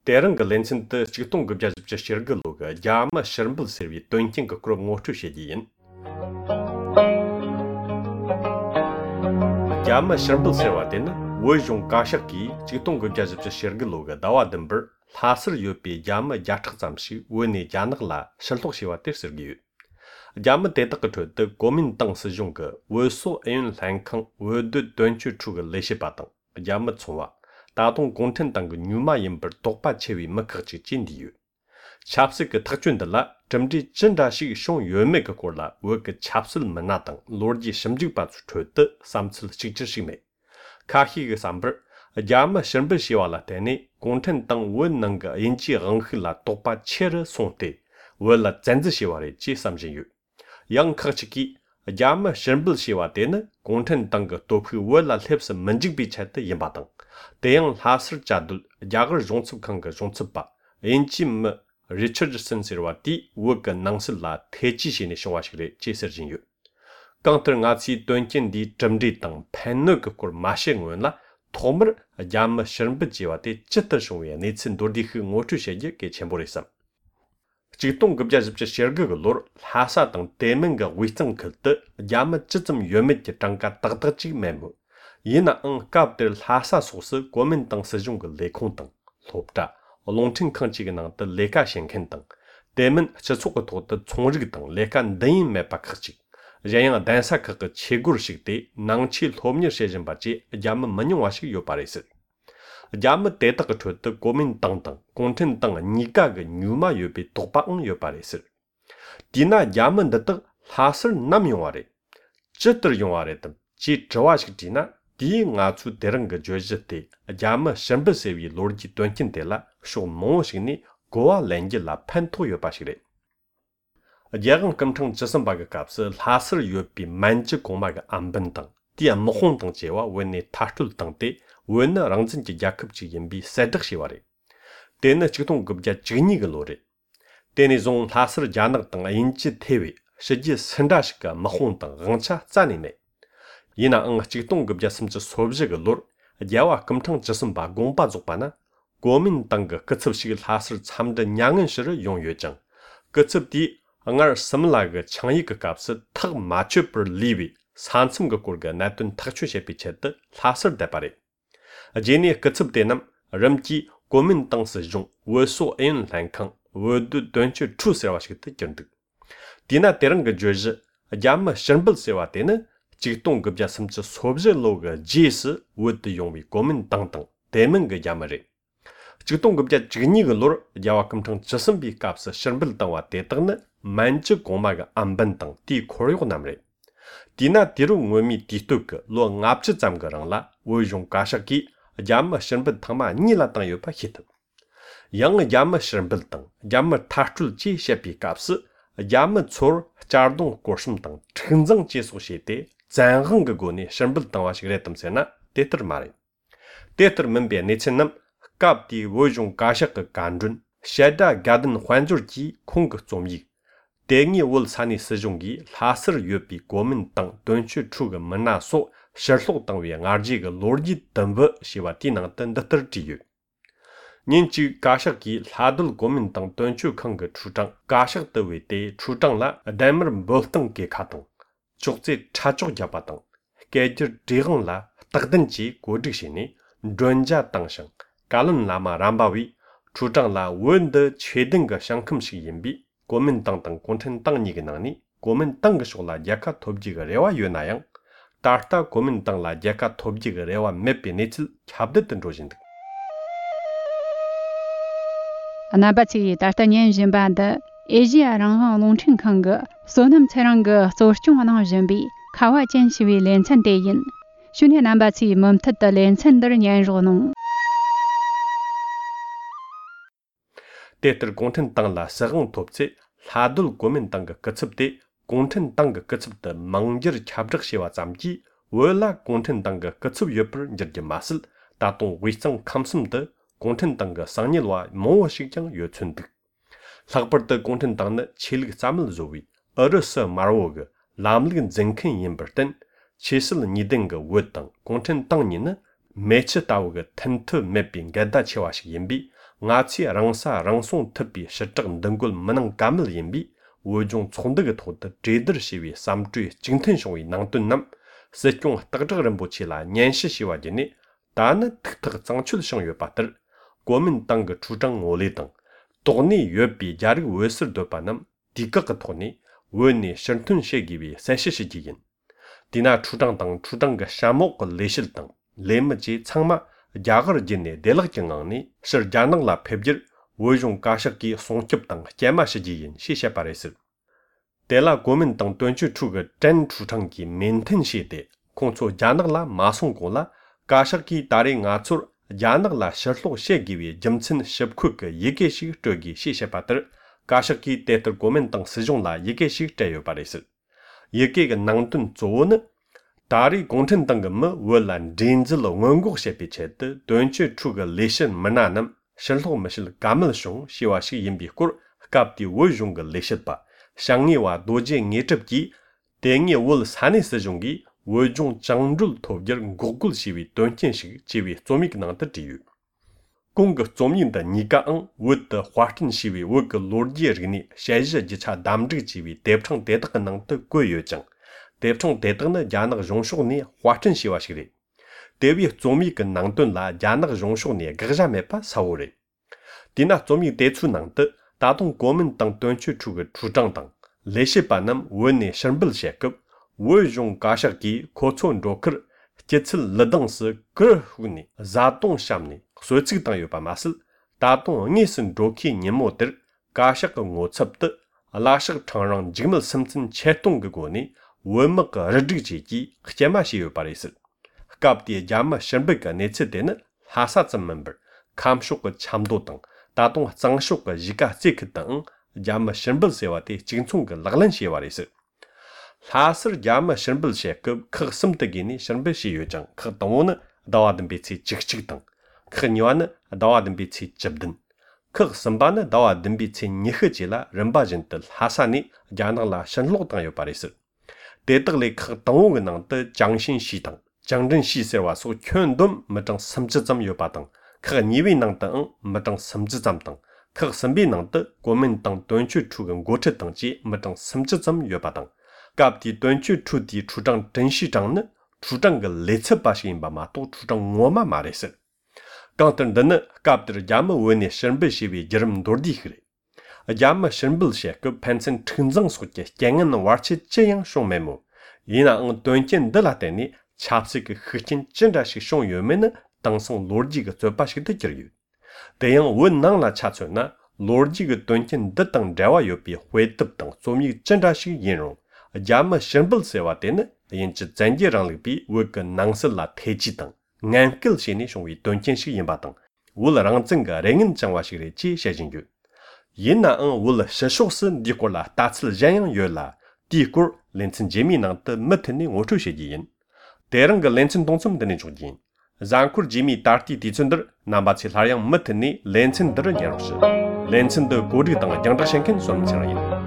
대런 그 렌센트 직동 급자 집자 시르글로가 야마 셔름블 서비 돈킹 그 그룹 모추 셰지인 야마 셔름블 서와데는 워종 가샤키 직동 급자 집자 시르글로가 다와든버 하슬 요피 야마 야탁 잠시 원이 야나글라 설독 시와 때스르기 야마 대덕그 더 고민 땅스 중그 워소 에윤 랑캉 워드 돈추 추가 레시바당 야마 총와 다동 공텐 당그 뉴마 임버 독바 체위 머크지 진디유 찹스 그 탁준들라 점지 진다시 숑 유메 그 콜라 워그 찹슬 만나당 로르지 심직바 추트 삼슬 직지시메 카히 그 삼버 야마 셴버 시와라 테니 공텐 당 원능가 인지 랑힐라 독바 체르 송테 월라 잔즈 시와레 지 삼진유 양카치기 야마 셴버 시와 테는 공텐 당그 도프 월라 렙스 મં직비 차트 임바당 대형 하슬 자들 야거 종습한 거 종습바 인침 리처드슨 시르와티 워가 낭슬라 태지신의 쇼와시레 제서진유 강트르가치 돈킨디 점디 땅 팬너그 콜 마셴원라 토머 야마 셔름브지와티 쩨터쇼에 네친 도디흐 모투셰게 개첨보레삼 직동 급자 집자 셔르그 로르 하사 땅 대men가 위성 클트 야마 쯧점 유메티 땅가 딱딱지 메모 이나 깝들 하사 소스 고민 땅 서중 그 레콩 땅 롭다 롱팅 칸치게 나다 레카 셴켄 땅 대면 저속고 도다 총르기 땅 레카 네임 메파크치 제양 단사 그 체구르식 때 낭치 롬녀 세진 바지 야마 만용와식 요바레스 야마 데타가 쳤다 고민 땅땅 콘텐 땅 니가 그 뉴마 요비 독바응 요바레스 디나 야마 데타 하슬 남용와레 쯧터 용와레 지 저와식 디나 디 나추 데랑 그 조지테 야마 셴버세비 로르지 돈킨텔라 쇼 모식니 고아 렌지라 판토 요바시레 야간 감청 저선바가 값을 하슬 요비 만지 고마가 안번당 디아 모홍당 제와 원네 타툴 당때 원나 랑진지 야급지 임비 세득시와레 데나 직동 급자 지니가 로레 데니 종 하슬 자낙 당 인지 태위 실지 선다시가 모홍당 랑차 짜니네 이나 직동 급자 심지 소비적 로 야와 감청 저선바 공바 족바나 고민 땅가 끝습식을 하슬 참된 양은시를 용유정 끝습디 앙알 섬라가 창이그 값을 탁 맞춰버 리비 산슴가 꼴가 나던 탁추셰 비체드 하슬 대바리 제니 끝습대남 럼지 고민 땅스 중 워소 엔 랑캉 워드 돈추 추세와식 뜻견득 디나 때른 그 조지 야마 션블 세와테는 직동 급자 심지 소비적 지스 워드 용비 고민 땅땅 대면 그 야마리 직동 급자 지니가 로 야와 감청 저선비 값을 션블 땅와 대떡는 만지 고마가 안번땅 디 코리고 남레 디나 디루 모미 디토크 로 납치 잠거랑라 오용 가샤기 야마 션블 탕마 니라 땅 요파 히트 양 야마 션블 땅 야마 타출 지 셰피 값을 야마 초 자동 고심 땅 천정 지소시대 잔흥 그 고니 션블 땅와 시그레텀세나 데터 마레 데터 멘베 네첸남 갑디 오용 가샤크 간준 샤다 가든 환주지 콩그 좀이 대니 월 산이 서종기 하슬 요비 고민 땅 돈추 추가 만나소 셔속 땅 위에 아지가 로르지 덤버 시와 디낭 던더지유 닌지 가샤기 하들 고민 땅 돈추 칸그 추장 가샤 더위대 추장라 다머 볼땅게 카동 쪽제 차쪽 잡아당 게저 디응라 딱든지 고득시니 존자 땅상 갈은 라마 람바위 추장라 원더 최등가 상큼식 임비 고민 땅땅 콘텐 땅니게 나니 고민 땅가 쇼라 야카 톱지가 레와 유나양 따르타 고민 땅라 야카 톱지가 레와 맵비니츠 찹듯던 조진득 아나바치 따르타년 짐바다 에지아 랑항 롱칭 칸가 소남 차랑가 소르충 하나 짐비 카와 젠시위 렌찬 대인 슈네 남바치 멈탔다 렌찬더 년로농 데터 콘텐 땅라 서흥 톱체 하들 고민 땅가 끝습대 콘텐 땅가 끝습다 망저 찹적시와 잠지 월라 콘텐 땅가 끝습 옆을 저게 마슬 다동 위성 감슴더 콘텐 땅가 상닐와 모식장 요춘득 락버더 콘텐 땅나 칠기 잠을 조위 어르서 마로그 람릭은 젠큰 임버튼 치슬 니딩가 워땅 콘텐 땅니는 매치 따오가 텐트 맵빙 게다 치와식 임비 nga chi rang sa rang song thapi shitag dangul manang kamil yinbi wojong chongdag thod jeder shiwi samtui jingten shongwi nangtun nam sekyong tagzhag rinpoche la nyanshi shiwa jini dana tiktak zangchul shang yo patar gomin tang chuzhang ngole tang togni yobi jarig wesir do pa nam dikak togni woni shantun shegiwi sanshi shiji yin dina chuzhang tang chuzhang ga shamok leshil tang lemaji changma jagar jinne delag jingangni shir janang la pebjir wojong kashak ki songkyub tang jema shiji yin shi sheparesir Dela gomin tang tuanchu chuga zhan chuchang ki menten she de, kongcho janag la masong gong la, kashak ki dari nga tsur janag la shirlok she giwi jimtsin shibku ke yike shik chogi she she patar, kashak ki tetar gomin tang sijong la yike shik chayo paresir. Yike ga nangtun zo na, dari gongchen tang ma wolan drinzil ngongok she pe che de, tuanchu chuga leshin mana nam, shirlok mashil gamal shong shiwa shik yinbi kur, kapdi wojong ga leshit pa. 샹이 와 도제 녜첩기 땡이 월 산이 세종기 월종 장줄 토결 고글 시위 돈첸식 지위 조믹 나한테 지유 공거 조민다 니가응 워드 화튼 시위 워그 로르지르니 샤이즈 지차 담지 지위 대청 대덕 능데 고여정 대청 대덕의 야능 용속니 화튼 시와시리 대비 조믹 능돈라 야능 용속니 그자메파 사오리 디나 조믹 대추 능데 다동国民党短缺出个主张党，来些把那文内申不些个，我用加上给可从着克，这次勒当是个户呢，za动上呢，所以这个党有把嘛事，大动你是着起年末的，加上个我差不多，拉上长让这么深圳切动个过呢，我们个日这个阶级，这嘛是有把的事，搞不的家嘛申不个那次的呢，哈萨怎么办？看说个差不多等。다동 장쇼가 지가 제크등 야마 신불 세와데 징총가 락란 세와레스 사슬 야마 신불 세급 크슴드기니 신불 시요장 크동은 다와든 비치 직직등 크니와는 다와든 비치 접든 크슴바는 다와든 비치 니흐지라 른바진들 하사니 야나라 신록당 요바레스 대덕리 크동은능의 장신시등 장전시세와 소劝돈 머정 섬지점 요바등可你为能等没等甚至怎等，可身边能的国民党短缺出跟国策等级没等甚至怎约巴等，搞的短缺出的出张真市长呢，出张个列车把些把嘛都出张我嘛嘛的是，刚等的呢，搞的咱们为呢身边些为人们多的去了，咱们身边些个盘成成长所见，今年能玩起这样双面目，伊那短见的啦的呢，恰是个核心真的是双月面呢。当上逻辑个做把式的结语，这样我能来查出呢，逻辑个短见的等这话有比回答等说明真正是应用，咱们申报些话的呢，因此整体上里比我个能是来推荐等，按个些呢属于短见是应把等，为了让整个人讲话式的接下进去，因那为了实说是你过了大次这样有了，第过连成节目能的没听的我出些因，第二个连成动作的那种因。Zankur Jimmy Tarti Tichunder, Nambachi Haryang Matani, Lensin Dr. Yarosh. Lensin the Godi Tang, Yang Shankin, Som Charayan.